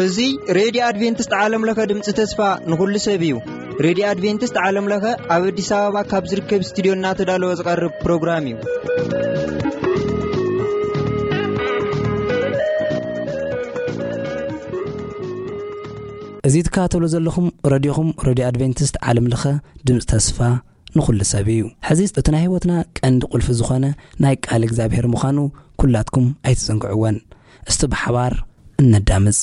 እዚ ሬድዮ ኣድቬንቲስት ዓለም ለኸ ድምፂ ተስፋ ንኹሉ ሰብ እዩ። ሬድዮ ኣድቬንቲስት ዓለም ለኸ ኣብ ኣዲስ ኣበባ ካብ ዝርከብ ስቱዲዮ እናተዳለወ ዝቐርብ ፕሮግራም እዩ። እዚ ትከታተሉ ዘለኹም ረድዮኹም ሬድዮ ኣድቬንቲስት ዓለም ለኸ ድምፂ ተስፋ ንኹሉ ሰብ እዩ። ሕዚ እቲ ናይ ህይወትና ቀንዲ ቁልፊ ዝኾነ ናይ ቃል እግዚኣብሔር ምዃኑ ኩላትኩም ኣይትዘንግዕወን። እስቲ ብሓባር እነዳምፅ።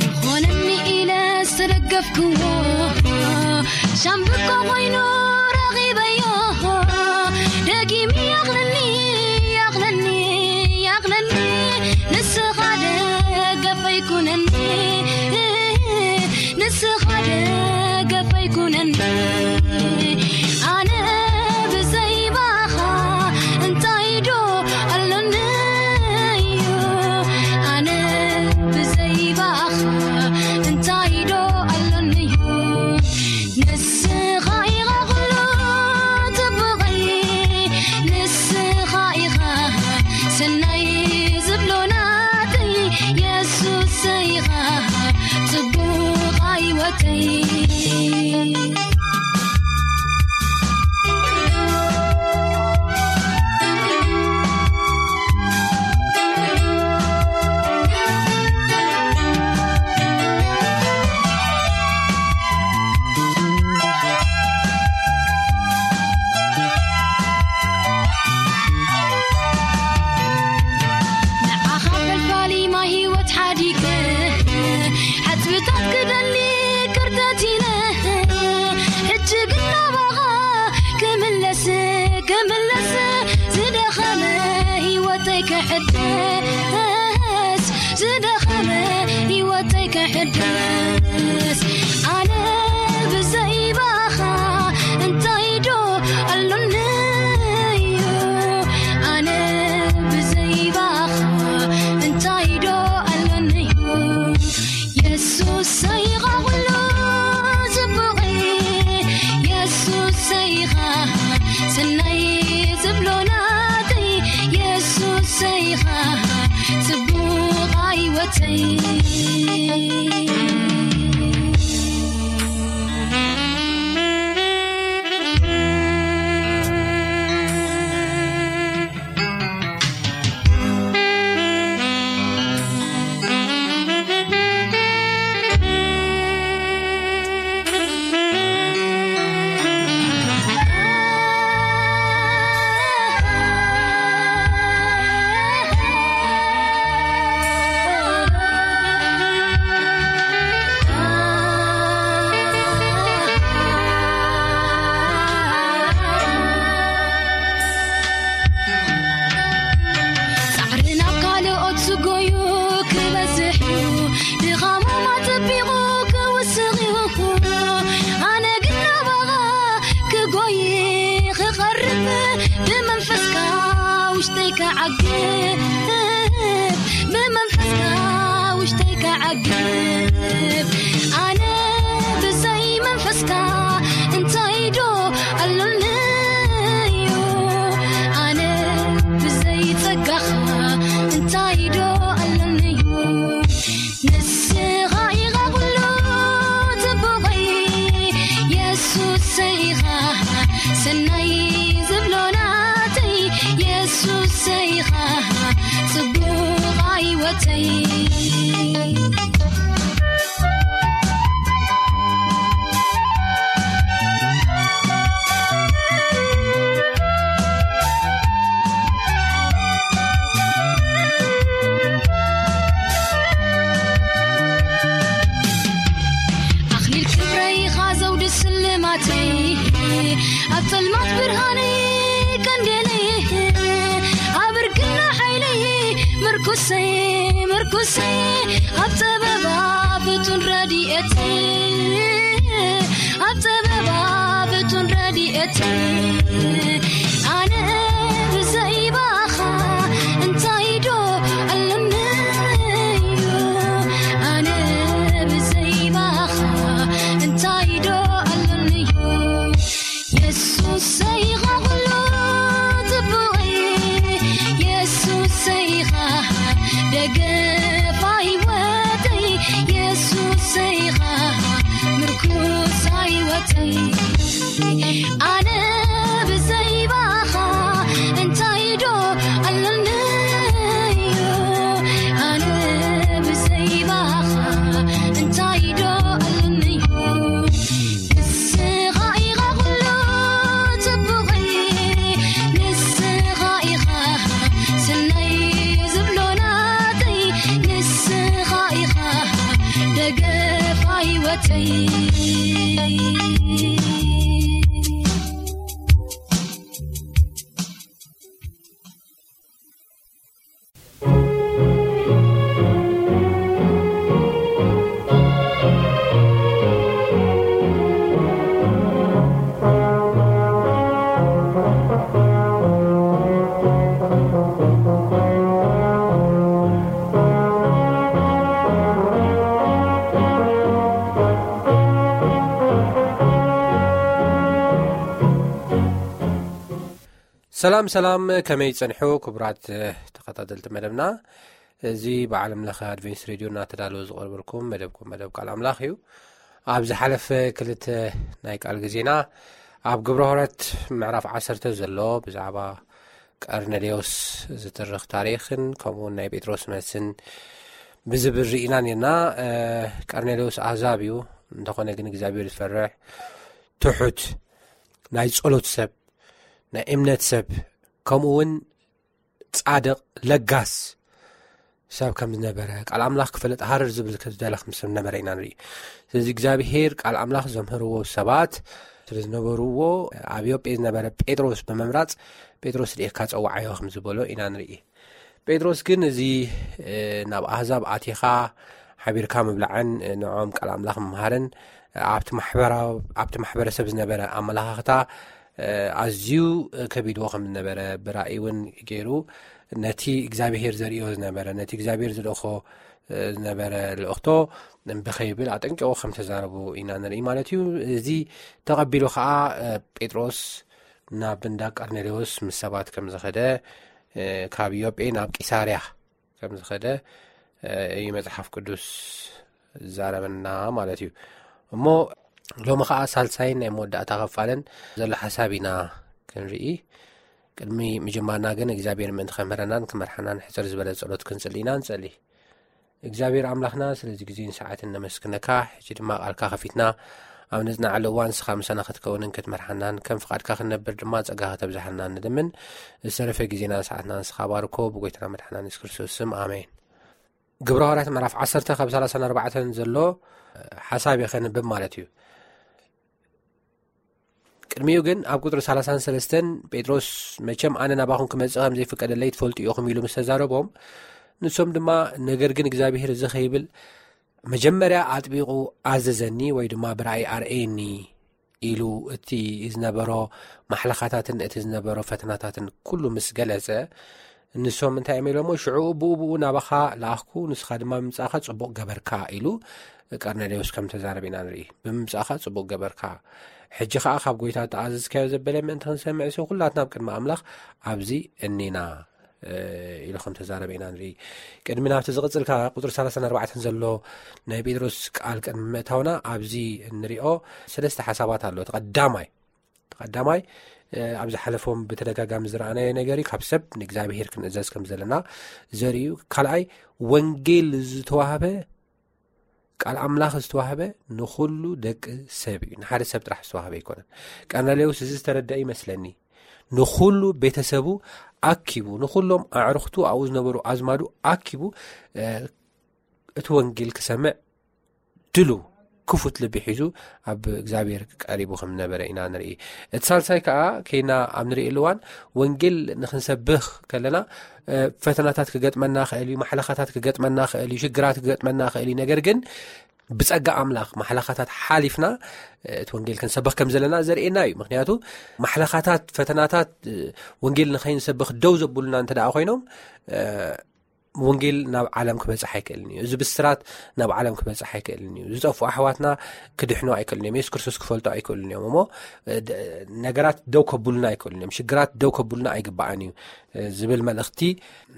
ይኾነኒ ኢለ ዝተደገፍክዎ ሻምብቆ ኮይኑ ረኺበዮ። ደጊም ያቕለኒ፣ ያቕለኒ፣ ያቕለኒ። ንስኻ ደገፈይ ኩነኒ፣ ንስኻ ደገፈይ ኩነኒ። ኣነ ብዘይ ባኻ እንታይ ዶ ኣሎኒ እዩ? ኣነ ብዘይ ባኻ እንታይ ዶ ኣሎኒ እዩ? ንስኻ ኢኻ ኩሉ ጽቡቐይ፣ ንስኻ ኢኻ ሰናይ ዝብሎ ናተይ፣ የሱሰይ ኢኻ ጽቡቕ ህይወተይ። ንዓኻ ፈልፋሊ ማይ ህይወት ሓዲገ፣ ሓጽብታት ክደሊ ክርተት ኢለ፣ ሕጂ ግን ናባኻ ክምለስ፣ ክምለስ፣ ዝደኸመ ህይወተይ ክሕደስ፣ ዝደኸመ ህይወተይ ክሕደስ። ኣነ ብዘይ ባኻ እንታይ ዶ ኣሎኒ እዩ? ኣነ ብዘይ ባኻ እንታይ ዶ ኣሎኒ እዩ? የሱሰይ ኢኻ ኩሉ ጽቡቐይ፣ የሱሰይ ኢኻ ሰናይ ዝብሎ ናተይ፣ የሱሰይ ኢኻ ጽቡቕ ህይወተይ። ጻዕሪ ናብ ካልኦት ዝጎዩ ክበዝሕ እዩ፣ ድኻሞም ኣጸቢቑ ክውስኽ እዩ። ኣነ ግን ናባኻ ክጎይ ክቐርብ፣ ብመንፈስካ ውሽጠይ ክዓግብ፣ ብመንፈስካ ውሽጠይ ክዓግብ። ኣነ ብዘይ መንፈስካ እንታይ ዶ ኣሎኒ እዩ? ኣነ ብዘይ ጸጋኻ እንታይ ዶ ኣሎኒ እዩ? ንስኻ ኢኻ ኩሉ ጽቡቐይ፣ የሱሰይ ኢኻ ሰናይ ዝብሎ ናተይ፣ የሱሰይ ኢኻ ጽቡቕ ህይወተይ። ምርኩሰይ፣ ምርኩሰይ፣ ኣብ ጸበባ ፍቱን ረድኤት፣ ኣብ ጸበባ ፍቱን ረድኤት። ኣነ ብዘይባኻ እንታይ ዶ ኣለኒ እዩ? ኣነ ብዘይባኻ እንታይ ዶ ኣለኒ እዩ? የሱሰይ ኢኻ ኩሉ ጽቡቐይ፣ የሱሰይ ኢኻ ደገፋ ህይወተይ፣ የሱሰይ ኢኻ ምርኩስ ህይወተይ። ኣነ ብዘይባኻ እንታይ ዶ ኣለኒ እዩ? ኣነ ብዘይባኻ እንታይ ዶ ኣለኒ እዩ? ንስኻ ኢኻ ኩሉ ጽቡቐይ፣ ንስኻ ኢኻ ሰናይ ዝብሎ ናተይ፣ ንስኻ ኢኻ ደገፋ ህይወተይ። ሰላም ሰላም፣ ከመይ ጸንሑ ክቡራት ተኸታተልቲ መደብና? እዚ ብዓለም ለኸ ኣድቬንስ ሬድዮ እናተዳለወ ዝቐርበልኩም መደብኩም መደብ ቃል ኣምላኽ እዩ። ኣብ ዝሓለፈ ክልተ ናይ ቃል ግዜና ኣብ ግብረ ሐዋርያት ምዕራፍ ዓሰርተ ዘሎ ብዛዕባ ቀርኔሌዎስ ዝትርኽ ታሪኽን ከምኡ እውን ናይ ጴጥሮስ መልስን ብዝብል ርኢና ነርና። ቀርኔሌዎስ ኣህዛብ እዩ፣ እንተኾነ ግን እግዚኣብሔር ዝፈርሕ ትሑት ናይ ጸሎት ሰብ፣ ናይ እምነት ሰብ፣ ከምኡ እውን ጻድቕ ለጋስ ሰብ ከም ዝነበረ፣ ቃል ኣምላኽ ክፈልጥ ሃረር ዝብል ከም ዝደለ ከም ሰብ ነበረ ኢና ንርኢ። ስለዚ እግዚኣብሄር ቃል ኣምላኽ ዘምህርዎ ሰባት ስለ ዝነበርዎ፣ ኣብ ዮጴ ዝነበረ ጴጥሮስ ብምምራጽ፣ "ጴጥሮስ ርኤካ ጸዋዓዮ" ከም ዝበሎ ኢና ንርኢ። ጴጥሮስ ግን እዚ ናብ ኣህዛብ ኣቲኻ ሓቢርካ ምብላዕን ንዕኦም ቃል ኣምላኽ ምምሃርን ኣብቲ ማሕበረሰብ ዝነበረ ኣመላኻኽታ ኣዝዩ ከቢድዎ ከም ዝነበረ ብራእይ እውን ገይሩ ነቲ እግዚኣብሄር ዘርእዮ ዝነበረ፣ ነቲ እግዚኣብሄር ዝልእኾ ዝነበረ ልእኽቶ ብኸይብል ኣጠንቂቑ ከም ተዛረቡ ኢና ንርኢ ማለት እዩ። እዚ ተቐቢሉ ኸዓ ጴጥሮስ ናብ እንዳ ቀርኔሌዎስ ምስ ሰባት ከም ዝኸደ፣ ካብ ዮጴ ናብ ቂሳርያ ከም ዝኸደ እዩ መጽሓፍ ቅዱስ ዝዛረበና ማለት እዩ። እሞ ሎሚ ኸዓ ሳልሳይን ናይ መወዳእታ ኸፋልን ዘሎ ሓሳብ ኢና ክንርኢ። ቅድሚ ምጅማርና ግን እግዚኣብሔር ምእንቲ ከምህረናን ክመርሓናን ሕጽር ዝበለ ጸሎት ክንጽሊ ኢና። ንጸሊ። እግዚኣብሔር ኣምላኽና ስለዚ ግዜን ሰዓትን ነመስግነካ። ሕጂ ድማ ቃልካ ከፊትና ኣብ ነጽናዓሉ እዋን ንስኻ ምሳና ክትከውንን ክትመርሓናን ከም ፍቓድካ ክንነብር ድማ ጸጋ ከተብዝሓልና ንልምን። ዝተረፈ ግዜና ሰዓትና ንስኻ ባርኮ። ብጎይታና መድሓና የሱስ ክርስቶስ ስም ኣሜን። ግብረ ሃዋርያት ምዕራፍ ዓሰርተ ካብ ሰላሳን ኣርባዕተን ዘሎ ሓሳብ እየ ከንብብ ማለት እዩ። ቅድሚኡ ግን ኣብ ቁጽሪ ሰላሳን ሰለስተን ጴጥሮስ፣ "መቸም ኣነ ናባኹም ክመጽእ ከም ዘይፍቀደለይ ትፈልጡ ኢኹም" ኢሉ ምስ ተዛረቦም፣ ንሶም ድማ፣ "ነገር ግን እግዚኣብሔር እዚ ከይብል መጀመርያ ኣጥቢቑ ኣዘዘኒ ወይ ድማ ብራእይ ኣርእየኒ" ኢሉ እቲ ዝነበሮ ማሕለኻታትን እቲ ዝነበሮ ፈተናታትን ኩሉ ምስ ገለጸ፣ ንሶም እንታይ እዮም ኢሎሞ? "ሽዑ ብኡ ብኡ ናባኻ ለኣኽኩ፣ ንስኻ ድማ ብምምጻእካ ጽቡቕ ገበርካ" ኢሉ ቀርኔሌዎስ ከም ተዛረበ ኢና ንርኢ። "ብምምጻእካ ጽቡቕ ገበርካ፣ ሕጂ ኸኣ ካብ ጐይታ እተኣዘዝካዮ ዘበለ ምእንቲ ክንሰምዕ ሲ፣ ኩላትና ኣብ ቅድሚ ኣምላኽ ኣብዚ እኒና" ኢሉ ከም ተዛረበ ኢና ንርኢ። ቅድሚ ናብቲ ዝቕጽል ካብ ቁጽሪ ሰላሳን ኣርባዕተን ዘሎ ናይ ጴጥሮስ ቃል ቅድሚ ምእታውና፣ ኣብዚ እንሪኦ ሰለስተ ሓሳባት ኣሎ። እቲ ቀዳማይ፣ እቲ ቀዳማይ፣ እ፣ ኣብ ዝሓለፎም ብተደጋጋሚ ዝረኣናዮ ነገር እዩ። ካብ ሰብ ንእግዚኣብሄር ክንእዘዝ ከም ዘለና ዘርእዩ። ካልኣይ፣ ወንጌል ዝተዋህበ፣ ቃል ኣምላኽ ዝተዋህበ ንኹሉ ደቂ ሰብ እዩ። ንሓደ ሰብ ጥራሕ ዝተዋህበ ኣይኮነን። ቀርኔሌዎስ እዚ ዝተረደአ ይመስለኒ። ንኹሉ ቤተሰቡ ኣኪቡ፣ ንኹሎም ኣዕሩኽቱ፣ ኣብኡ ዝነበሩ ኣዝማዱ ኣኪቡ፣ እ፣ እቲ ወንጌል ክሰምዕ ድሉው ክፉት ልቢ ሒዙ ኣብ እግዚኣብሔር ቀሪቡ ከም ነበረ ኢና ንርኢ። እቲ ሳልሳይ ከዓ ከይና ኣብ ንርእየሉ እዋን ወንጌል ንክንሰብኽ ከለና ፈተናታት ክገጥመና ክእል እዩ፣ ማሕለኻታት ክገጥመና ክእል እዩ፣ ሽግራት ክገጥመና ክእል እዩ። ነገር ግን ብጸጋ ኣምላኽ ማሕለኻታት ሓሊፍና እቲ ወንጌል ክንሰብኽ ከም ዘለና ዘርእየና እዩ። ምክንያቱ ማሕለኻታት፣ ፈተናታት ወንጌል ንኸይንሰብኽ ደው ዘብሉና እንተ ደኣ ኮይኖም ወንጌል ናብ ዓለም ክበጽሕ ኣይክእልን እዩ። እዚ ብስራት ናብ ዓለም ክበጽሕ ኣይክእልን እዩ። ዝጠፍኡ ኣሕዋትና ክድሕኑ ኣይክእልን እዮም። የሱስ ክርስቶስ ክፈልጡ ኣይክእልን እዮም። እሞ ነገራት ደው ከብሉና ኣይክእልን እዮም። ሽግራት ደው ከብሉና ኣይግባኣን እዩ ዝብል መልእኽቲ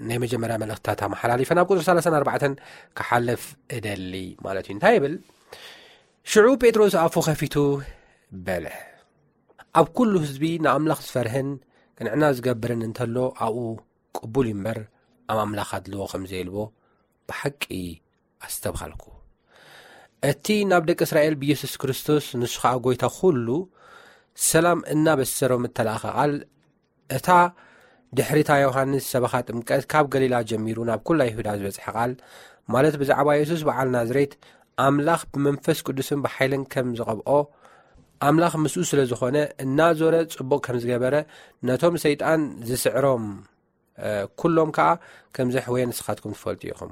ናይ መጀመርያ መልእኽትታት ኣመሓላሊፈ ናብ ቁጽሪ ሰላሳን ኣርባዕተን ክሓልፍ እደሊ ማለት እዩ። እንታይ ይብል? ሽዑ ጴጥሮስ ኣፉ ከፊቱ በለ፣ ኣብ ኩሉ ህዝቢ ንኣምላኽ ዝፈርህን ቅንዕና ዝገብርን እንተሎ ኣብኡ ቅቡል እዩ እምበር ኣብ ኣምላኽ ኣድልዎ ከም ዘየልቦ ብሓቂ ኣስተብሃልኩ። እቲ ናብ ደቂ እስራኤል ብየሱስ ክርስቶስ ንሱ ኸኣ ጎይታ ኩሉ ሰላም እናበሰሮም እተላእኸ ቓል እታ ድሕሪታ ዮሃንስ ሰበኻ ጥምቀት ካብ ገሊላ ጀሚሩ ናብ ኩላ ይሁዳ ዝበጽሐ ቃል ማለት ብዛዕባ የሱስ በዓል ናዝሬት ኣምላኽ ብመንፈስ ቅዱስን ብሓይልን ከም ዝቐብኦ ኣምላኽ ምስኡ ስለ ዝኾነ እናዞረ ጽቡቕ ከም ዝገበረ ነቶም ሰይጣን ዝስዕሮም ኩሎም ከኣ ከም ዘሕወየ ንስኻትኩም ትፈልጡ ኢኹም።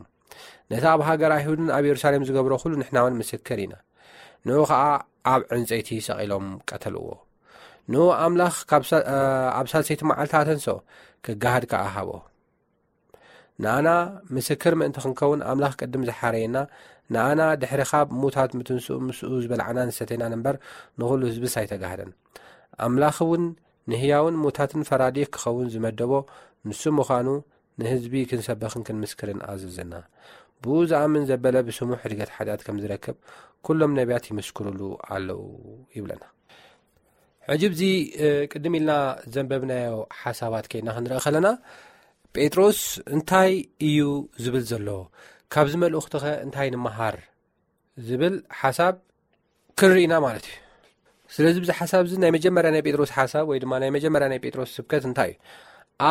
ነቲ ኣብ ሃገር ኣይሁድን ኣብ የሩሳሌም ዝገብሮ ኩሉ ንሕና እውን ምስክር ኢና። ንኡ ኸኣ ኣብ ዕንጸይቲ ሰቒሎም ቀተልዎ። ንኡ ኣምላኽ ኣብ ሳልሰይቲ መዓልቲ ኣተንሶ፣ ክገሃድ ከኣ ሃቦ። ንኣና ምስክር ምእንቲ ክንከውን ኣምላኽ ቅድም ዝሓረየና፣ ንኣና ድሕሪ ካብ ሙታት ምትንስኡ ምስኡ ዝበላዕናን ዝሰተይናን እምበር ንኹሉ ህዝብስ ኣይተጋህደን። ኣምላኽ እውን ንህያውን ሙታትን ፈራዲ ክኸውን ዝመደቦ ንሱ ምዃኑ ንህዝቢ ክንሰብኽን ክንምስክርን ኣዘዘና። ብኡ ዝኣምን ዘበለ ብስሙ ሕድገት ሓጢኣት ከም ዝረክብ ኩሎም ነቢያት ይምስክሩሉ ኣለዉ ይብለና። ሕጂ ብዚ ቅድም ኢልና ዘንበብናዮ ሓሳባት ከይና ክንርኢ ከለና ጴጥሮስ እንታይ እዩ ዝብል ዘሎ? ካብዚ መልእኽትኸ እንታይ ንምሃር ዝብል ሓሳብ ክንርኢ ኢና ማለት እዩ። ስለዚ ብዚ ሓሳብ እዚ ናይ መጀመርያ ናይ ጴጥሮስ ሓሳብ ወይ ድማ ናይ መጀመርያ ናይ ጴጥሮስ ስብከት እንታይ እዩ?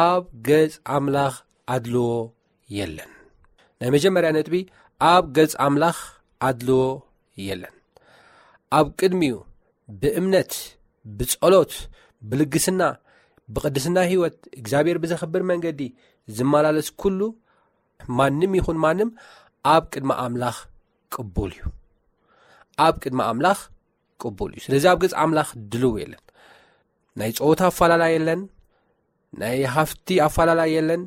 ኣብ ገጽ ኣምላኽ ኣድልዎ የለን። ናይ መጀመርያ ነጥቢ ኣብ ገጽ ኣምላኽ ኣድልዎ የለን። ኣብ ቅድሚኡ ብእምነት፣ ብጸሎት፣ ብልግስና፣ ብቕድስና ህይወት እግዚኣብሔር ብዘኽብር መንገዲ ዝመላለስ ኩሉ ማንም ይኹን ማንም ኣብ ቅድሚ ኣምላኽ ቅቡል እዩ። ኣብ ቅድሚ ኣምላኽ ቅቡል እዩ። ስለዚ ኣብ ገጽ ኣምላኽ ድልው የለን። ናይ ጸወታ ኣፋላላይ የለን። ናይ ሃፍቲ ኣፋላላይ የለን።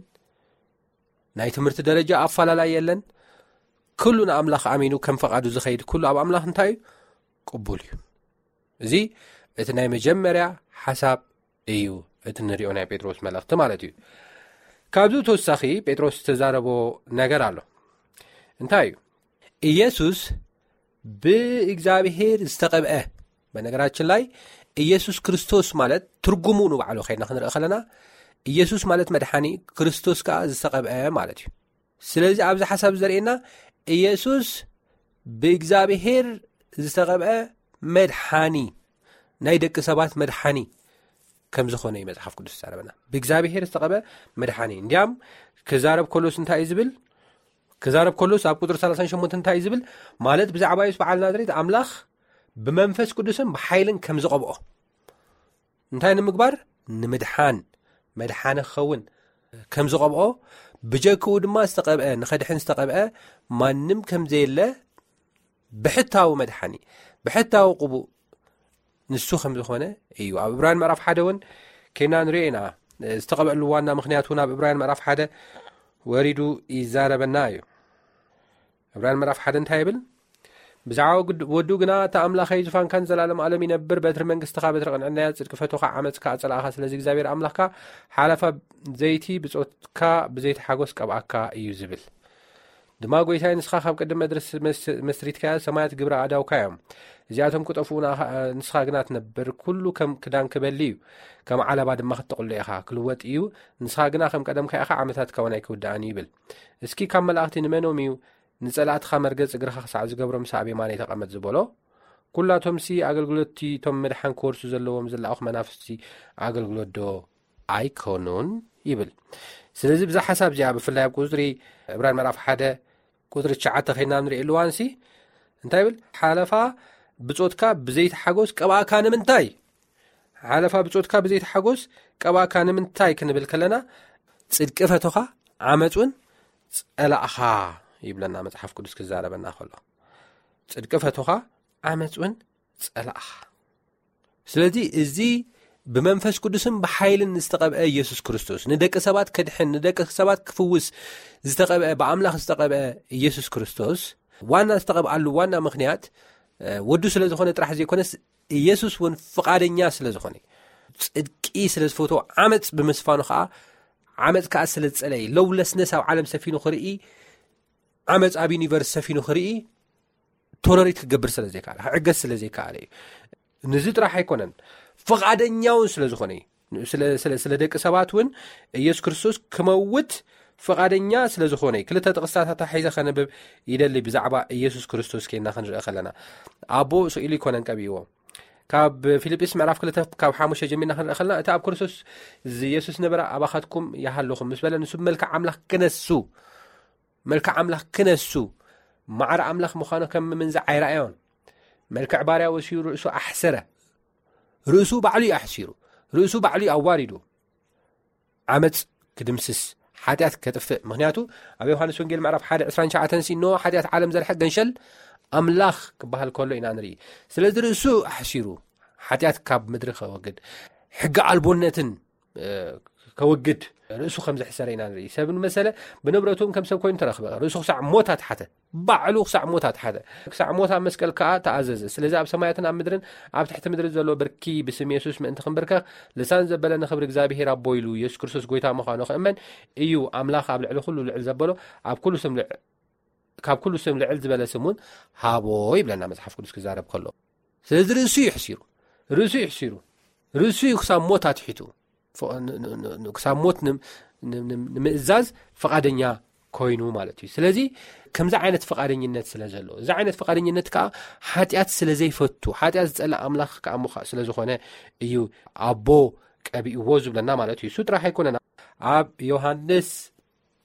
ናይ ትምህርቲ ደረጃ ኣፋላላይ የለን። ኩሉ ንኣምላኽ ኣሚኑ ከም ፈቓዱ ዝኸይድ ኩሉ ኣብ ኣምላኽ እንታይ እዩ? ቅቡል እዩ። እዚ እቲ ናይ መጀመርያ ሓሳብ እዩ፣ እቲ ንሪኦ ናይ ጴጥሮስ መልእኽቲ ማለት እዩ። ካብዚ ተወሳኺ ጴጥሮስ ዝተዛረቦ ነገር ኣሎ። እንታይ እዩ? ኢየሱስ ብእግዚኣብሔር ዝተቐብአ። በነገራችን ላይ ኢየሱስ ክርስቶስ ማለት ትርጉሙ ንባዕሉ ከይና ክንርኢ ከለና ኢየሱስ ማለት መድሓኒ፣ ክርስቶስ ከኣ ዝተቐብአ ማለት እዩ። ስለዚ ኣብዚ ሓሳብ ዘርእየና ኢየሱስ ብእግዚኣብሔር ዝተቐብአ መድሓኒ፣ ናይ ደቂ ሰባት መድሓኒ ከም ዝኾነ እዩ መጽሓፍ ቅዱስ ዝዛረበና። ብእግዚኣብሔር ዝተቐብአ መድሓኒ። እንዲያም ክዛረብ ከሎስ እንታይ እዩ ዝብል? ክዛረብ ከሎስ ኣብ ቁጽሪ ሰላሳን ሸሞንተን እንታይ እዩ ዝብል? ማለት ብዛዕባ የሱስ በዓል ናዝሬት ኣምላኽ ብመንፈስ ቅዱስን ብሓይልን ከም ዝቐብኦ። እንታይ ንምግባር? ንምድሓን፣ መድሓኒ ክኸውን ከም ዝቐብኦ፣ ብጀክኡ ድማ ዝተቐብአ፣ ንኸድሕን ዝተቐብአ ማንም ከም ዘየለ ብሕታዊ መድሓኒ፣ ብሕታዊ ቅቡእ ንሱ ከም ዝኾነ እዩ። ኣብ ዕብራውያን ምዕራፍ ሓደ እውን ከይና ንሪኦ ኢና። ዝተቐብአሉ ዋና ምኽንያት እውን ኣብ ዕብራውያን ምዕራፍ ሓደ ወሪዱ ይዛረበና እዩ። ዕብራውያን ምዕራፍ ሓደ እንታይ ይብል? ብዛዕባ ወዱ ግና፣ "እቲ ኣምላኸይ፣ ዙፋንካ ንዘለኣለም ኣለም ይነብር፣ በትሪ መንግስትኻ በትሪ ቅንዕናያ፣ ጽድቂ ፈትኻ ዓመጽካ ኣጸላእኻ፣ ስለዚ እግዚኣብሔር ኣምላኽካ ሓለፋ ዘይቲ ብጾትካ ብዘይቲ ሓጎስ ቀብኣካ" እዩ ዝብል። ድማ፣ "ጐይታይ፣ ንስኻ ካብ ቅድም መድረስ መስ-፣ መስሪትካያ፣ ሰማያት ግብሪ ኣእዳውካ እዮም። እዚኣቶም ክጠፍኡ ንኣኻ-፣ ንስኻ ግና ትነብር። ኩሉ ከም ክዳን ክበሊ እዩ፣ ከም ዓለባ ድማ ክትጥቕሎ ኢኻ። ክልወጥ እዩ፣ ንስኻ ግና ከም ቀደምካ ኢኻ፣ ዓመታትካ እውን ኣይክውድኣን እዩ" ይብል። እስኪ ካብ መላእኽቲ ንመኖም እዩ ንጸላእትኻ መርገጽ እግርኻ ክሳዕ ዝገብሮ፣ ምሳብ የማነይ ተቐመጥ ዝበሎ? ኩላቶምሲ ኣገልግሎትቲ እቶም ምድሓን ክወርሱ ዘለዎም ዝለኣኹ መናፍስቲ ኣገልግሎት ዶ ኣይኮኑን? ይብል። ስለዚ ብዛ ሓሳብ እዚኣ ብፍላይ ኣብ ቁጽሪ ዕብራን ምዕራፍ ሓደ ቁጽሪ ትሽዓተ ኸይና ንርእየሉ እዋንሲ እንታይ ይብል? ሓለፋ ብጾትካ ብዘይትሓጎስ ቀብኣካ ንምንታይ? ሓለፋ ብጾትካ ብዘይትሓጎስ ቀብኣካ ንምንታይ ክንብል ከለና፣ ጽድቂ ፈቶኻ ዓመጽ እውን ጸላእኻ ይብለና መጽሓፍ ቅዱስ ክዛረበና ከሎ። ጽድቂ ፈቶኻ ዓመጽ እውን ጸላእኻ። ስለዚ እዚ ብመንፈስ ቅዱስን ብሓይልን ዝተቐብአ ኢየሱስ ክርስቶስ፣ ንደቂ ሰባት ከድሕን፣ ንደቂ ሰባት ክፍውስ ዝተቐብአ፣ ብኣምላኽ ዝተቐብአ ኢየሱስ ክርስቶስ፣ ዋና ዝተቐብኣሉ ዋና ምኽንያት፣ እ፣ ወዱ ስለ ዝኾነ ጥራሕ ዘይኮነስ፣ ኢየሱስ እውን ፍቓደኛ ስለ ዝኾነ፣ ጽድቂ ስለ ዝፈትዎ፣ ዓመጽ ብምስፋኑ ኸኣ፣ ዓመጽ ከኣ ስለ ዝጸለየ፣ ለውለስነስ ኣብ ዓለም ሰፊኑ ክርኢ፣ ዓመጽ ኣብ ዩኒቨርስ ሰፊኑ ክርኢ፣ ቶለሬት ክገብር ስለ ዘይከኣለ፣ ክዕገስ ስለ ዘይከኣለ እዩ። ንዚ ጥራሕ ኣይኮነን፣ ፍቓደኛ እውን ስለ ዝኾነ እዩ። ስለ፣ ስለ፣ ስለ ደቂ ሰባት እውን ኢየሱስ ክርስቶስ ክመውት ፍቓደኛ ስለ ዝኾነ እዩ። ክልተ ጥቕስታት ሒዘ ከነብብ ይደሊ። ብዛዕባ ኢየሱስ ክርስቶስ ኬና ክንርኢ ከለና፣ ኣቦ ስኢሉ ኣይኮነን ቀቢእዎ። ካብ ፊልጵስ ምዕራፍ ክልተ ካብ ሓሙሽተ ጀሚርና ክንርኢ ከለና፣ እቲ ኣብ ክርስቶስ ኢየሱስ ነበረ ኣባኻትኩም ይሃለኹም ምስ በለ፣ ንሱ ብመልክዕ ኣምላኽ ክነሱ፣ መልክዕ ኣምላኽ ክነሱ፣ ማዕረ ኣምላኽ ምዃኑ ከም ምምንዛዕ ኣይረኣዮን። መልክዕ ባርያ ወሲዩ ርእሱ ኣሕሰረ። ርእሱ ባዕሉ እዩ ኣሕሲሩ። ርእሱ ባዕሉ እዩ ኣዋሪዱ። ዓመጽ ክድምስስ፣ ሓጢኣት ከጥፍእ። ምኽንያቱ ኣብ ዮሃንስ ወንጌል ምዕራፍ ሓደ ዕስራን ትሽዓተን ሲ፣ "እንሆ ሓጢኣት ዓለም ዘርሕቕ ገንሸል ኣምላኽ" ክበሃል ከሎ ኢና ንርኢ። ስለዚ ርእሱ ኣሕሲሩ፣ ሓጢኣት ካብ ምድሪ ከወግድ፣ ሕጊ ኣልቦነትን፣ እ፣ ከወግድ ርእሱ ከም ዘሕሰረ ኢና ንርኢ። ሰብ ንመሰለ ብንብረቱ እውን ከም ሰብ ኮይኑ ተረኽበ። ርእሱ ክሳዕ ሞት ኣትሓተ። ባዕሉ ክሳዕ ሞት ኣትሓተ። ክሳዕ ሞት ኣብ መስቀል ከኣ ተኣዘዘ። ስለዚ ኣብ ሰማያትን ኣብ ምድርን ኣብ ትሕቲ ምድሪ ዘሎ ብርኪ ብስም የሱስ ምእንቲ ክንብርከኽ፣ ልሳን ዘበለ ንኽብሪ እግዚኣብሄር ኣቦ ኢሉ፣ የሱስ ክርስቶስ ጎይታ ምዃኑ ክእመን እዩ። ኣምላኽ ኣብ ልዕሊ ኩሉ ልዕል ዘበሎ፣ ኣብ ኩሉ ስም ልዕ-፣ ካብ ኩሉ ስም ልዕል ዝበለ ስም እውን ሃቦ ይብለና መጽሓፍ ቅዱስ ክዛረብ ከሎ። ስለዚ ርእሱ እዩ ሕሲሩ። ርእሱ እዩ ሕሲሩ። ርእሱ እዩ ክሳብ ሞት ኣትሒቱ። ፎ-፣ ን-፣ ን-፣ ን-፣ ን-፣ ክሳብ ሞት ንም-፣ ንም-፣ ንም-፣ ንምእዛዝ ፍቓደኛ ኮይኑ ማለት እዩ። ስለዚ ከምዚ ዓይነት ፍቓደኝነት ስለ ዘሎ፣ እዚ ዓይነት ፍቓደኝነት ከኣ ሓጢኣት ስለ ዘይፈቱ፣ ሓጢኣት ዝጸልእ ኣምላኽ ከኣ ምዃ-፣ ስለ ዝኾነ እዩ ኣቦ ቀቢእዎ ዝብለና ማለት እዩ። እሱ ጥራሕ ኣይኮነን። ኣብ ዮሃንስ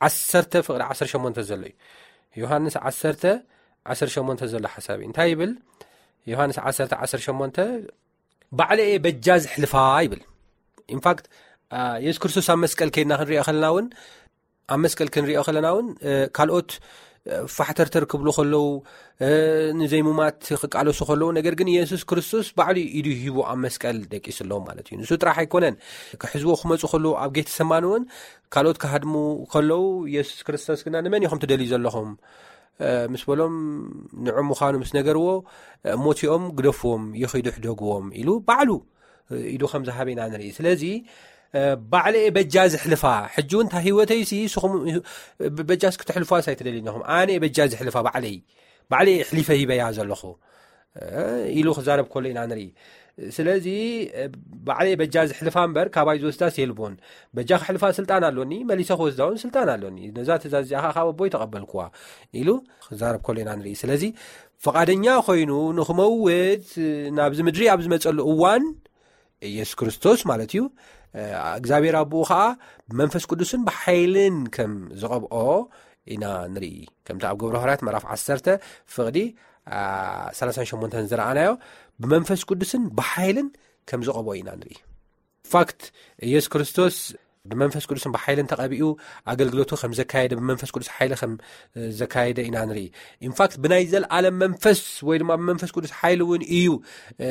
ዓሰርተ ፍቕዲ ዓሰርተ ሸሞንተ ዘሎ እዩ። ዮሃንስ ዓሰርተ ዓሰርተ ሸሞንተ ዘሎ ሓሳብ እዩ። እንታይ ይብል? ዮሃንስ ዓሰርተ ዓሰርተ ሸሞንተ፣ "ባዕለ እየ በጃ ዝሕልፋ" ይብል። ኢንፋክት፣ አ፣ የሱስ ክርስቶስ ኣብ መስቀል ከይድና ክንሪኦ ከለና እውን፣ ኣብ መስቀል ክንሪኦ ከለና እውን፣ እ፣ ካልኦት፣ እ፣ ፋሕተርተር ክብሉ ከለዉ፣ እ፣ ንዘይሙማት ክቃለሱ ከለዉ፣ ነገር ግን የሱስ ክርስቶስ ባዕሉ ኢዱ ሂቡ ኣብ መስቀል ደቂስሎም ማለት እዩ። ንሱ ጥራሕ ኣይኮነን፣ ክሕዝዎ ክመጹ ከለዉ ኣብ ጌተሰማኒ እውን ካልኦት ክሃድሙ ከለዉ፣ የሱስ ክርስቶስ ግና፣ "ንመን ኢኹም ትደልዩ ዘለኹም?" እ፣ ምስ በሎም፣ ንዑ ምዃኑ ምስ ነገርዎ፣ እ፣ "ሞቲኦም ግደፍዎም፣ ይኺዱ ሕደግዎም" ኢሉ ባዕሉ፣ እ፣ ኢዱ ከም ዝሃበ ኢና ንርኢ። ስለዚ፣ እ፣ "ባዕለ እየ በጃ ዝሕልፋ፣ ሕጂ እውን እታ ህይወተይሲ ንስኹም ብ-፣ በጃስ ክትሕልፋስ ኣይትደልዩን ኢኹም። ኣነ እየ በጃ ዝሕልፋ፣ ባዕለይ፣ ባዕለይ እየ ኣሕሊፈ ሂበያ ዘለኹ" እ፣ ኢሉ ክዛረብ ከሎ ኢና ንርኢ። ስለዚ፣ እ፣ "ባዕለይ በጃ ዝሕልፋ እምበር፣ ካባይ ዝወስዳስ የልቦን። በጃ ክሕልፋ ስልጣን ኣሎኒ፣ መሊሰ ክወስዳ እውን ስልጣን ኣሎኒ። ነዛ ትእዛዝ እዚኣ ኸዓ ካብ ኣቦይ ተቐበልኩዋ" ኢሉ ክዛረብ ከሎ ኢና ንርኢ። ስለዚ፣ ፍቓደኛ ኮይኑ ንኽመውት፣ እ፣ ናብዚ ምድሪ ኣብ ዝመጸሉ እዋን፣ ኢየሱስ ክርስቶስ ማለት እዩ፣ እ፣ እግዚኣብሔር ኣቦኡ ኸዓ ብመንፈስ ቅዱስን ብሓይልን ከም ዝቐብኦ ኢና ንርኢ። ከምቲ ኣብ ግብረ ሃዋርያት ምዕራፍ ዓሰርተ ፍቕዲ፣ አ፣ ሰላሳን ሸሞንተን ዝረኣናዮ፣ ብመንፈስ ቅዱስን ብሓይልን ከም ዝቐብኦ ኢና ንርኢ። ፋክት፣ ኢየሱስ ክርስቶስ ብመንፈስ ቅዱስን ብሓይልን ተቐቢኡ ኣገልግሎቱ ከም ዘካየደ፣ ብመንፈስ ቅዱስ ሓይሊ ከም፣ እ፣ ዘካየደ ኢና ንርኢ። ኢንፋክት፣ ብናይ ዘልኣለም መንፈስ ወይ ድማ ብመንፈስ ቅዱስ ሓይሊ እውን እዩ፣ እ፣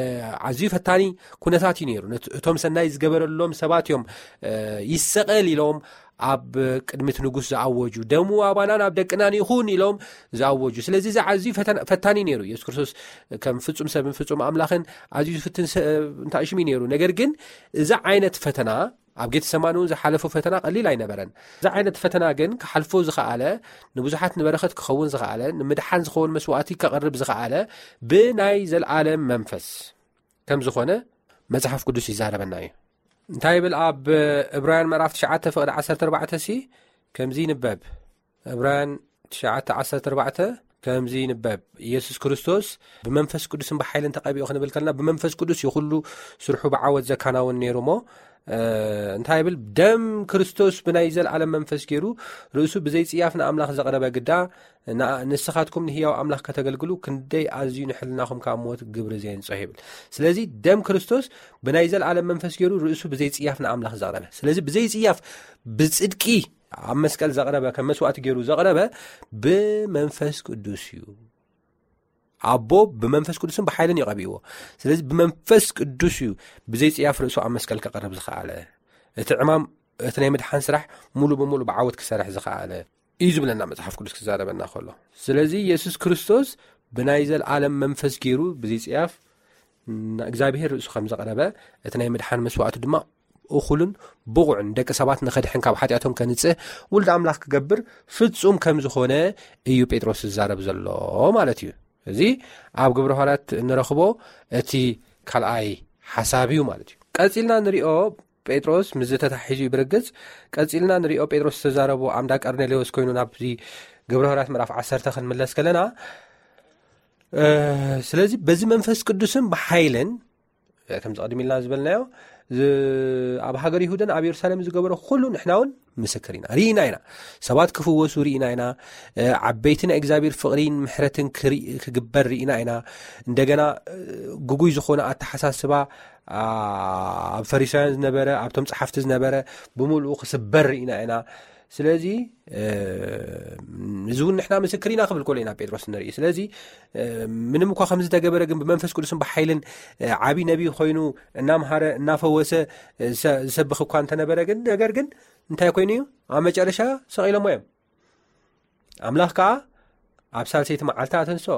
ኣዝዩ ፈታኒ ኩነታት እዩ ነይሩ። ነት-፣ እቶም ሰናይ ዝገበረሎም ሰባት እዮም፣ እ፣ "ይሰቐል" ኢሎም ኣብ ቅድሚ እቲ ንጉስ ዝኣወጁ፣ "ደሙ ኣባናን ኣብ ደቅናን ይኹን" ኢሎም ዝኣወጁ። ስለዚ እዚ ኣዝዩ ፈተና-፣ ፈታኒ ነይሩ። ኢየሱስ ክርስቶስ ከም ፍጹም ሰብን ፍጹም ኣምላኽን ኣዝዩ ዝፍትን ሰ-፣ እንታይ ሽም እዩ ነይሩ። ነገር ግን እዚ ዓይነት ፈተና፣ ኣብ ጌተሰማኒ እውን ዝሓለፎ ፈተና ቀሊል ኣይነበረን። እዚ ዓይነት ፈተና ግን ክሓልፎ ዝኸኣለ፣ ንብዙሓት ንበረኸት ክኸውን ዝኸኣለ፣ ንምድሓን ዝኸውን መስዋእቲ ከቕርብ ዝኸኣለ ብናይ ዘልኣለም መንፈስ ከም ዝኾነ መጽሓፍ ቅዱስ ይዛረበና እዩ። እንታይ ይብል? ኣብ ዕብራውያን ምዕራፍ ትሽዓተ ፍቕዲ ዓሰርተ ኣርባዕተ ሲ ከምዚ ይንበብ። ዕብራውያን ትሽዓተ ዓሰርተ ኣርባዕተ ከምዚ ይንበብ፣ "ኢየሱስ ክርስቶስ ብመንፈስ ቅዱስን ብሓይልን ተቐቢኡ" ክንብል ከለና፣ ብመንፈስ ቅዱስ እዩ ኩሉ ስርሑ ብዓወት ዘከናውን ነይሩ እሞ፣ እንታይ ብል? ደም ክርስቶስ ብናይ ዘለዓለም መንፈስ ገይሩ ርእሱ ብዘይጽያፍ ንኣምላኽ ዘቕረበ ግዳ ንስኻትኩም ንህያው ኣምላኽ ከተገልግሉ ክንደይ ኣዝዩ ንሕልናኹም ካብ ሞት ግብሪ ዘየንጽሆ ይብል። ስለዚ ደም ክርስቶስ ብናይ ዘለዓለም መንፈስ ገይሩ ርእሱ ብዘይጽያፍ ንኣምላኽ ዘቕረበ፣ ስለዚ ብዘይጽያፍ ብጽድቂ ኣብ መስቀል ዘቕረበ፣ ከም መስዋእቲ ገይሩ ዘቕረበ ብመንፈስ ቅዱስ እዩ። ኣቦ ብመንፈስ ቅዱስን ብሓይልን ይቐብእዎ። ስለዚ ብመንፈስ ቅዱስ እዩ ብዘይጽያፍ ርእሱ ኣብ መስቀል ክቐርብ ዝኸኣለ፣ እቲ ዕማም እቲ ናይ ምድሓን ስራሕ ሙሉ ብሙሉ ብዓወት ክሰርሕ ዝኸኣለ እዩ ዝብለና መጽሓፍ ቅዱስ ክዛረበና ከሎ። ስለዚ የሱስ ክርስቶስ ብናይ ዘልኣለም መንፈስ ገይሩ ብዘይጽያፍ እግዚኣብሔር ርእሱ ከም ዘቕረበ፣ እቲ ናይ ምድሓን መስዋእቱ ድማ እኹልን ብቑዕን ደቂ ሰባት ንኸድሕን ካብ ሓጢኣቶም ከንጽህ ውልድ ኣምላኽ ክገብር ፍጹም ከም ዝኾነ እዩ ጴጥሮስ ዝዛረብ ዘሎ ማለት እዩ። እዚ ኣብ ግብረ ሃዋርያት እንረኽቦ እቲ ካልኣይ ሓሳብ እዩ ማለት እዩ። ቀጺልና ንሪኦ፣ ጴጥሮስ ምስ ዝተታሒዙ እዩ ብርግጽ። ቀጺልና ንሪኦ፣ ጴጥሮስ ዝተዛረቦ ኣምዳ ቀርኔሌዎስ ኮይኑ ናብዚ ግብረ ሃዋርያት ምዕራፍ ዓሰርተ ክንምለስ ከለና፣ ስለዚ በዚ መንፈስ ቅዱስን ብሓይልን ከምዚ ቀድም ኢልና ዝበልናዮ፣ ኣብ ሃገር ይሁዳን ኣብ የሩሳሌም ዝገበሮ ኩሉ ንሕና እውን ምስክር ኢና፣ ርኢና ኢና። ሰባት ክፍወሱ ርኢና ኢና። ዓበይቲ ናይ እግዚኣብሔር ፍቕሪን ምሕረትን ክግበር ርኢና ኢና። እንደገና ግጉይ ዝኾነ ኣተሓሳስባ ኣብ ፈሪሳውያን ዝነበረ፣ ኣብቶም ጸሓፍቲ ዝነበረ ብምልኡ ክስበር ርኢና ኢና። ስለዚ እዚ እውን ንሕና ምስክር ኢና ክብል ከሎ ኢና ጴጥሮስ ንርኢ። ስለዚ ምንም እኳ ከምዚ ተገበረ ግን ብመንፈስ ቅዱስን ብሓይልን ዓብዪ ነቢይ ኮይኑ እናምሃረ እናፈወሰ ዝሰብኽ እኳ እንተነበረ ግን፣ ነገር ግን እንታይ ኮይኑ እዩ? ኣብ መጨረሻ ሰቒሎሞ እዮም። ኣምላኽ ከዓ ኣብ ሳልሰይቲ መዓልቲ ኣተንስኦ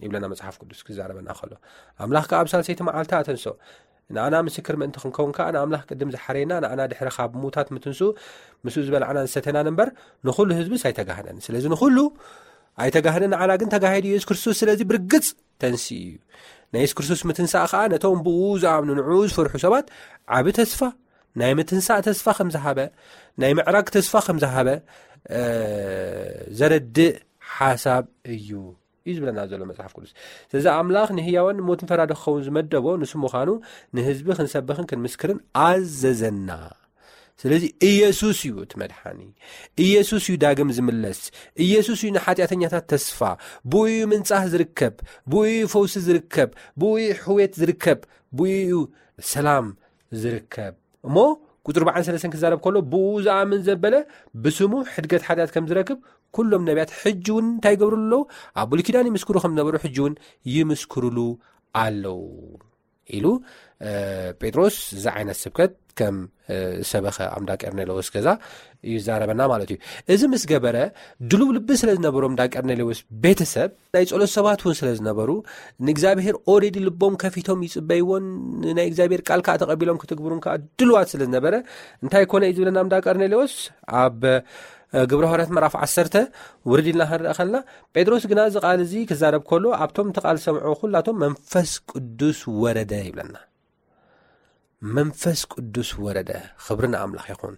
ይብለና መጽሓፍ ቅዱስ ክዛረበና ከሎ። ኣምላኽ ከዓ ኣብ ሳልሰይቲ መዓልቲ ኣተንስኦ። ንኣና ምስክር ምእንቲ ክንከውን ከዓ ንኣምላኽ ቅድም ዝሓረየና፣ ንኣና ድሕሪ ካብ ምዉታት ምትንስኡ ምስኡ ዝበላዕናን ዝሰተናን እምበር ንኹሉ ህዝብስ ኣይተጋህደን። ስለዚ ንኹሉ ኣይተጋህደን፣ ንዓና ግን ተጋሂዱ የሱስ ክርስቶስ። ስለዚ ብርግጽ ተንስኡ እዩ። ናይ የሱስ ክርስቶስ ምትንሳእ ከዓ ነቶም ብኡ ዝኣምኑ ንዕኡ ዝፈርሑ ሰባት ዓቢ ተስፋ፣ ናይ ምትንሳእ ተስፋ ከም ዝሃበ፣ ናይ ምዕራግ ተስፋ ከም ዝሃበ ዘረድእ ሓሳብ እዩ እዩ ዝብለና ዘሎ መጽሓፍ ቅዱስ። ስለዚ ኣምላኽ ንህያዋን ሞትን ፈራዲ ክኸውን ዝመደቦ ንሱ ምዃኑ ንህዝቢ ክንሰብኽን ክንምስክርን ኣዘዘና። ስለዚ ኢየሱስ እዩ እቲ መድሓኒ። ኢየሱስ እዩ ዳግም ዝምለስ። ኢየሱስ እዩ ንሓጢኣተኛታት ተስፋ። ብኡ እዩ ምንጻህ ዝርከብ፣ ብኡ እዩ ፈውሲ ዝርከብ፣ ብኡ እዩ ሕውየት ዝርከብ፣ ብኡ እዩ ሰላም ዝርከብ። እሞ ቁጽሪ ኣርባዓን ሰለስተን ክዛረብ ከሎ፣ ብኡ ዝኣምን ዘበለ ብስሙ ሕድገት ሓጢኣት ከም ዝረክብ ኩሎም ነቢያት ሕጂ እውን እንታይ ይገብሩ ኣለዉ? ኣብ ብሉይ ኪዳን ይምስክሩ ከም ዝነበሩ ሕጂ እውን ይምስክሩሉ ኣለዉ ኢሉ ጴጥሮስ እዚ ዓይነት ስብከት ከም ሰበኸ ኣምዳ ቀርኔሌዎስ ገዛ እዩ ዝዛረበና ማለት እዩ። እዚ ምስ ገበረ ድሉው ልቢ ስለ ዝነበሮም እንዳ ቀርኔሌዎስ ቤተሰብ ናይ ጸሎት ሰባት እውን ስለ ዝነበሩ ንእግዚኣብሔር ኦሬዲ ልቦም ከፊቶም ይጽበይዎን ናይ እግዚኣብሔር ቃል ከዓ ተቐቢሎም ክትግብሩን ከዓ ድልዋት ስለ ዝነበረ እንታይ ኮነ እዩ ዝብለና ኣምዳ ቀርኔሌዎስ ኣብ ግብረ ሃዋርያት ምዕራፍ ዓሰርተ ውርድ ኢልና ክንርአ ከለና ጴጥሮስ ግና እዚ ቃል እዚ ክዛረብ ከሎ ኣብቶም እቲ ቃል ዝሰምዑ ኩላቶም መንፈስ ቅዱስ ወረደ ይብለና። መንፈስ ቅዱስ ወረደ። ክብሪ ንኣምላኽ ይኹን።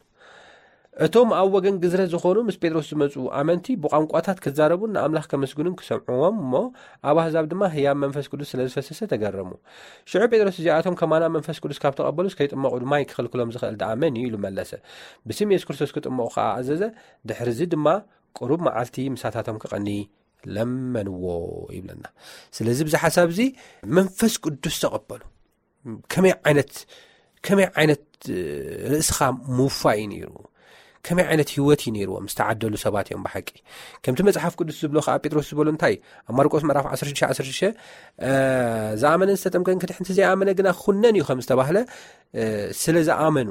እቶም ኣብ ወገን ግዝረት ዝኾኑ ምስ ጴጥሮስ ዝመጹ ኣመንቲ ብቋንቋታት ክዛረቡን ንኣምላኽ ከመስግኑን ክሰምዕዎም እሞ ኣብ ኣህዛብ ድማ ህያብ መንፈስ ቅዱስ ስለ ዝፈሰሰ ተገረሙ። ሽዑ ጴጥሮስ እዚኣቶም ከማና መንፈስ ቅዱስ ካብ ተቐበሉስ ከይጥመቑ ድማ ይክልክሎም ዝኽእል ደኣ መን እዩ ኢሉ መለሰ። ብስም የሱስ ክርስቶስ ክጥመቑ ከኣ ኣዘዘ። ድሕርዚ ድማ ቁሩብ መዓልቲ ምሳታቶም ክቐኒ ለመንዎ ይብለና። ስለዚ ብዚ ሓሳብ እዚ መንፈስ ቅዱስ ተቐበሉ። ከመይ ዓይነት ከመይ ዓይነት ርእስኻ ምውፋይ እዩ ነይሩ? ከመይ ዓይነት ህይወት እዩ ነይርዎም ዝተዓደሉ ሰባት እዮም ብሓቂ። ከምቲ መጽሓፍ ቅዱስ ዝብሎ ከዓ ጴጥሮስ ዝበሎ እንታይ ኣብ ማርቆስ ምዕራፍ ዓሰርተ ሽዱሽተ ዓሰርተ ሽዱሽተ ዝኣመነን ዝተጠምቀን ክድሕንቲ ዘይኣመነ ግና ክኹነን እዩ ከም ዝተባህለ ስለ ዝኣመኑ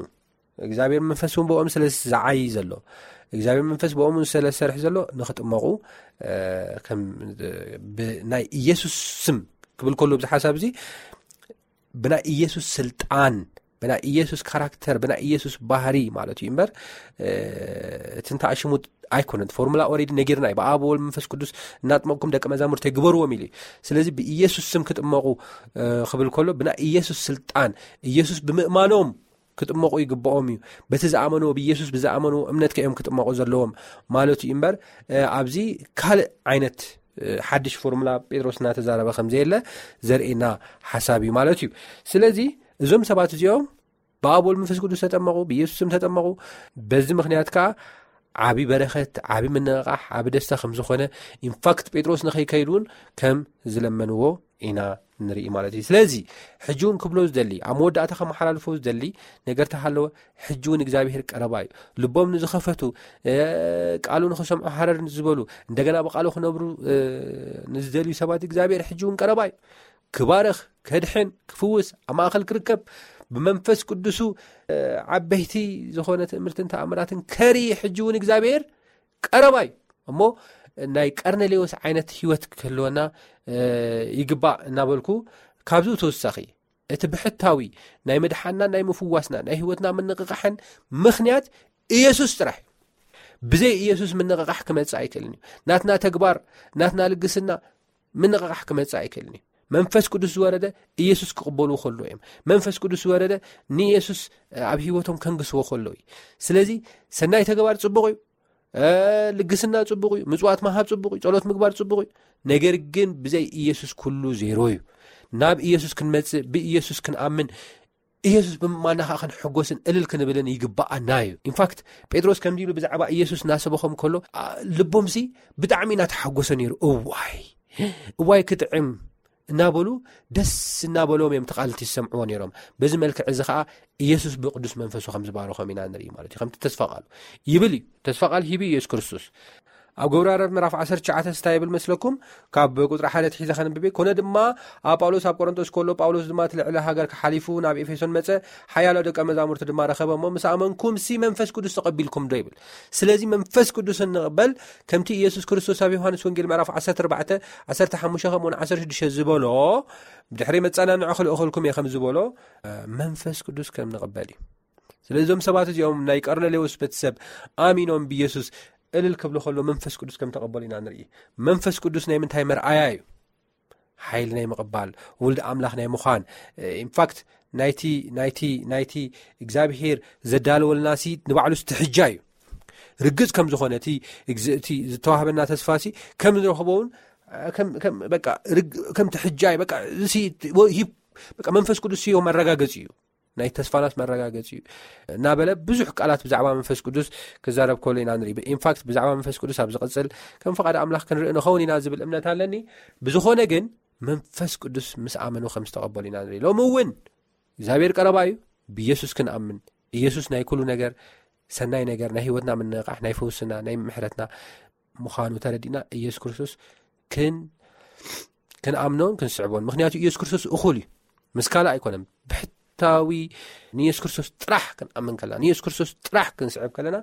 እግዚኣብሔር መንፈስ እውን ብኦም ስለ ዝዓይ ዘሎ እግዚኣብሔር መንፈስ ብኦም ስለ ዝሰርሕ ዘሎ ንክጥመቑ ብናይ ኢየሱስ ስም ክብል ከሎ ብዚ ሓሳብ እዚ ብናይ ኢየሱስ ስልጣን ብናይ ኢየሱስ ካራክተር ብናይ ኢየሱስ ባህሪ ማለት እዩ እምበር እቲ እንተኣሽሙት ኣይኮነን። ፎርሙላ ኦሬዲ ነጊርና እዩ። ብኣብ ወልድ መንፈስ ቅዱስ እናጥመቅኩም ደቂ መዛሙርተይ ግበርዎም ኢሉ እዩ። ስለዚ ብኢየሱስ ስም ክጥመቁ ክብል ከሎ ብናይ ኢየሱስ ስልጣን ኢየሱስ ብምእማኖም ክጥመቁ ይግብኦም እዩ። በቲ ዝኣመንዎ ብኢየሱስ ብዝኣመንዎ እምነት ከ እዮም ክጥመቁ ዘለዎም ማለት እዩ እምበር ኣብዚ ካልእ ዓይነት ሓድሽ ፎርሙላ ጴጥሮስ እናተዛረበ ከም ዘየለ ዘርእየና ሓሳብ እዩ ማለት እዩ። ስለዚ እዞም ሰባት እዚኦም ብኣብ ወልድ መንፈስ ቅዱስ ተጠመቑ፣ ብኢየሱስ ስም ተጠመቑ። በዚ ምኽንያት ከዓ ዓቢ በረኸት፣ ዓቢ ምንቕቓሕ፣ ዓቢ ደስታ ከም ዝኾነ፣ ኢንፋክት ጴጥሮስ ንኸይከይድ እውን ከም ዝለመንዎ ኢና ንርኢ ማለት እዩ። ስለዚ ሕጂ እውን ክብሎ ዝደሊ፣ ኣብ መወዳእታ ከመሓላልፎ ዝደሊ ነገር ተሃለወ፣ ሕጂ እውን እግዚኣብሔር ቀረባ እዩ። ልቦም ንዝኸፈቱ፣ እ፣ ቃሉ ንኽሰምዑ ሃረር ንዝበሉ፣ እንደገና ብቃሉ ክነብሩ፣ እ፣ ንዝደልዩ ሰባት እግዚኣብሔር ሕጂ እውን ቀረባ እዩ። ክባርኽ፣ ከድሕን፣ ክፍውስ፣ ኣብ ማእከል ክርከብ፣ ብመንፈስ ቅዱሱ፣ እ፣ ዓበይቲ ዝኾነ ትእምርትን ተኣምራትን ከርኢ ሕጂ እውን እግዚኣብሔር ቀረባ እዩ። እሞ ናይ ቀርኔሌዎስ ዓይነት ህይወት ክህልወና፣ እ፣ ይግባእ እናበልኩ፣ ካብዚ ተወሳኺ እቲ ብሕታዊ ናይ ምድሓንና፣ ናይ ምፍዋስና፣ ናይ ህይወትና ምንቕቓሕን ምኽንያት ኢየሱስ ጥራሕ እዩ። ብዘይ ኢየሱስ ምንቕቓሕ ክመጽእ ኣይክእልን እዩ። ናትና ተግባር፣ ናትና ልግስና ምንቕቓሕ ክመጽእ ኣይክእልን እዩ። መንፈስ ቅዱስ ዝወረደ ኢየሱስ ክቕበሉ ከሎ እዮም። መንፈስ ቅዱስ ዝወረደ ንኢየሱስ ኣብ ህይወቶም ከንግስዎ ከሎ እዩ። ስለዚ ሰናይ ተግባር ጽቡቕ እዩ። እ፣ ልግስና ጽቡቕ እዩ። ምጽዋት ምሃብ ጽቡቕ እዩ። ጸሎት ምግባር ጽቡቕ እዩ። ነገር ግን ብዘይ ኢየሱስ ኩሉ ዜሮ እዩ። ናብ ኢየሱስ ክንመጽእ፣ ብኢየሱስ ክንኣምን፣ ኢየሱስ ብምእማንና ኸዓ ክንሕጎስን እልል ክንብልን ይግብኣና እዩ። ኢንፋክት ጴጥሮስ ከምዚ ኢሉ ብዛዕባ ኢየሱስ እናሰበኾም ከሎ፣ ኣ፣ ልቦምሲ ብጣዕሚ እናተሓጎሰ ነይሩ። እዋይ፣ እዋይ ክጥዕም እናበሉ፣ ደስ እናበሎም እዮም እቲ ቃል እቲ ዝሰምዕዎ ነይሮም። በዚ መልክዕ እዚ ኸዓ ኢየሱስ ብቅዱስ መንፈሱ ከም ዝባረኾም ኢና ንርኢ ማለት እዩ። ከምቲ ተስፋ ቃሉ ይብል እዩ። ተስፋ ቃል ሂቡ ኢየሱስ ክርስቶስ። ኣብ ግብረ ሃዋርያት ምዕራፍ ዓሰርተ ትሽዓተ እንታይ ይብል መስለኩም? ካብ ቁጽሪ ሓደ ኣትሒዘ ከንብብ እየ። ኮነ ድማ ኣብ ጳውሎስ ኣብ ቆሮንቶስ ከሎ፣ ጳውሎስ ድማ እቲ ልዕሊ ሃገር ክሓሊፉ ናብ ኤፌሶን መጸ፣ ሓያሎ ደቀ መዛሙርቲ ድማ ረኸበ። እሞ ምስ ኣመንኩም ሲ መንፈስ ቅዱስ ተቐቢልኩም ዶ ይብል። ስለዚ መንፈስ ቅዱስ እንቕበል ከምቲ ኢየሱስ ክርስቶስ ኣብ ዮሃንስ ወንጌል ምዕራፍ ዓሰርተ ኣርባዕተ ዓሰርተ ሓሙሽተ ከምኡውን ዓሰርተ ሽዱሽተ ዝበሎ፣ ብድሕሪ መጸናንዒ ክልእኸልኩም እየ ከም ዝበሎ፣ እ፣ መንፈስ ቅዱስ ከም ንቕበል እዩ። ስለዚ እዞም ሰባት እዚኦም ናይ ቀርኔሌዎስ ቤተሰብ ኣሚኖም ብኢየሱስ እልል ክብሉ ከሎ መንፈስ ቅዱስ ከም ተቐበሉ ኢና ንርኢ። መንፈስ ቅዱስ ናይ ምንታይ መርኣያ እዩ? ሓይሊ ናይ ምቕባል፣ ውልድ ኣምላኽ ናይ ምዃን፣ እ፣ ኢንፋክት ናይቲ፣ ናይቲ፣ ናይቲ እግዚኣብሔር ዘዳለወልና ሲ ንባዕሉ ስትሕጃ እዩ። ርግጽ ከም ዝኾነ እቲ፣ እግዝ-፣ እቲ ዝተዋህበና ተስፋ ሲ ከም ንረኽቦ እውን፣ እ፣ ከም፣ ከም፣ በቃ፣ ርግ-፣ ከም ትሕጃ እዩ። በቃ፣ እዚ ሲ፣ ወ-፣ ሂብ-፣ በቃ፣ መንፈስ ቅዱስ ሲ መረጋገጺ እዩ። ናይ ተስፋናስ መረጋገጺ እዩ እናበለ ብዙሕ ቃላት ብዛዕባ መንፈስ ቅዱስ ክዛረብ ከሎ ኢና ንርኢ። ኢንፋክት ብዛዕባ መንፈስ ቅዱስ ኣብ ዝቕጽል ከም ፍቓድ ኣምላኽ ክንርኢ ንኸውን ኢና ዝብል እምነት ኣለኒ። ብዝኾነ ግን መንፈስ ቅዱስ ምስ ኣመኑ ከም ዝተቐበሉ ኢና ንርኢ። ሎሚ እውን እግዚኣብሔር ቀረባ እዩ። ብኢየሱስ ክንኣምን፣ ኢየሱስ ናይ ኩሉ ነገር፣ ሰናይ ነገር፣ ናይ ህይወትና ምንቕቓሕ፣ ናይ ፈውስና፣ ናይ ምሕረትና ምዃኑ ተረዲእና ኢየሱስ ክርስቶስ ክን-፣ ክንኣምኖን ክንስዕቦን። ምኽንያቱ ኢየሱስ ክርስቶስ እኹል እዩ። ምስ ካልእ ኣይኮነን። ብሕታዊ ንኢየሱስ ክርስቶስ ጥራሕ ክንኣምን ከለና፣ ንኢየሱስ ክርስቶስ ጥራሕ ክንስዕብ ከለና፣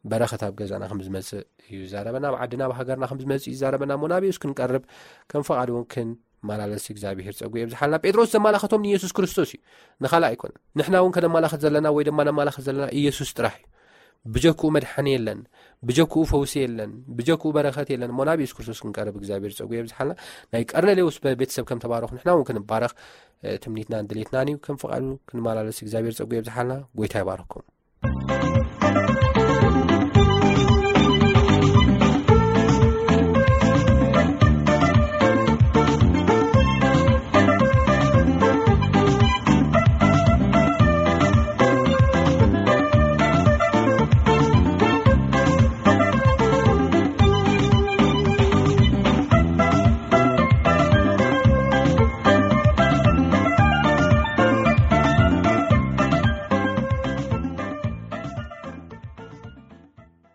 በረኸት ኣብ ገዛና ከም ዝመጽእ እዩ ዝዛረበና፣ ኣብ ዓድና፣ ኣብ ሃገርና ከም ዝመጽእ እዩ ዝዛረበና። እሞ ናብ ኢየሱስ ክንቀርብ፣ ከም ፍቓዱ እውን ክንመላለስ እግዚኣብሔር ጸጉ የብዝሓልና። ጴጥሮስ ዘመላኸቶም ንኢየሱስ ክርስቶስ እዩ፣ ንኻልእ ኣይኮነን። ንሕና እውን ከነመላኸት ዘለና ወይ ድማ ነመላኸት ዘለና ኢየሱስ ጥራሕ እዩ። ብጀክኡ መድሓኒ የለን፣ ብጀክኡ ፈውሲ የለን፣ ብጀክኡ በረኸት የለን። እሞ ናብ ኢየሱስ ክርስቶስ ክንቀርብ እግዚኣብሔር ጸጉ የብዝሓልና። ናይ ቀርኔሌዎስ በ-፣ ቤተሰብ ከም ተባረኹ ንሕና እውን ክንባረኽ፣ እ፣ ትምኒትናን ድሌትናን እዩ። ከም ፍቓዱ ክንመላለስ እግዚኣብሔር ጸጉ የብዝሓልና። ጎይታ ይባርኩም።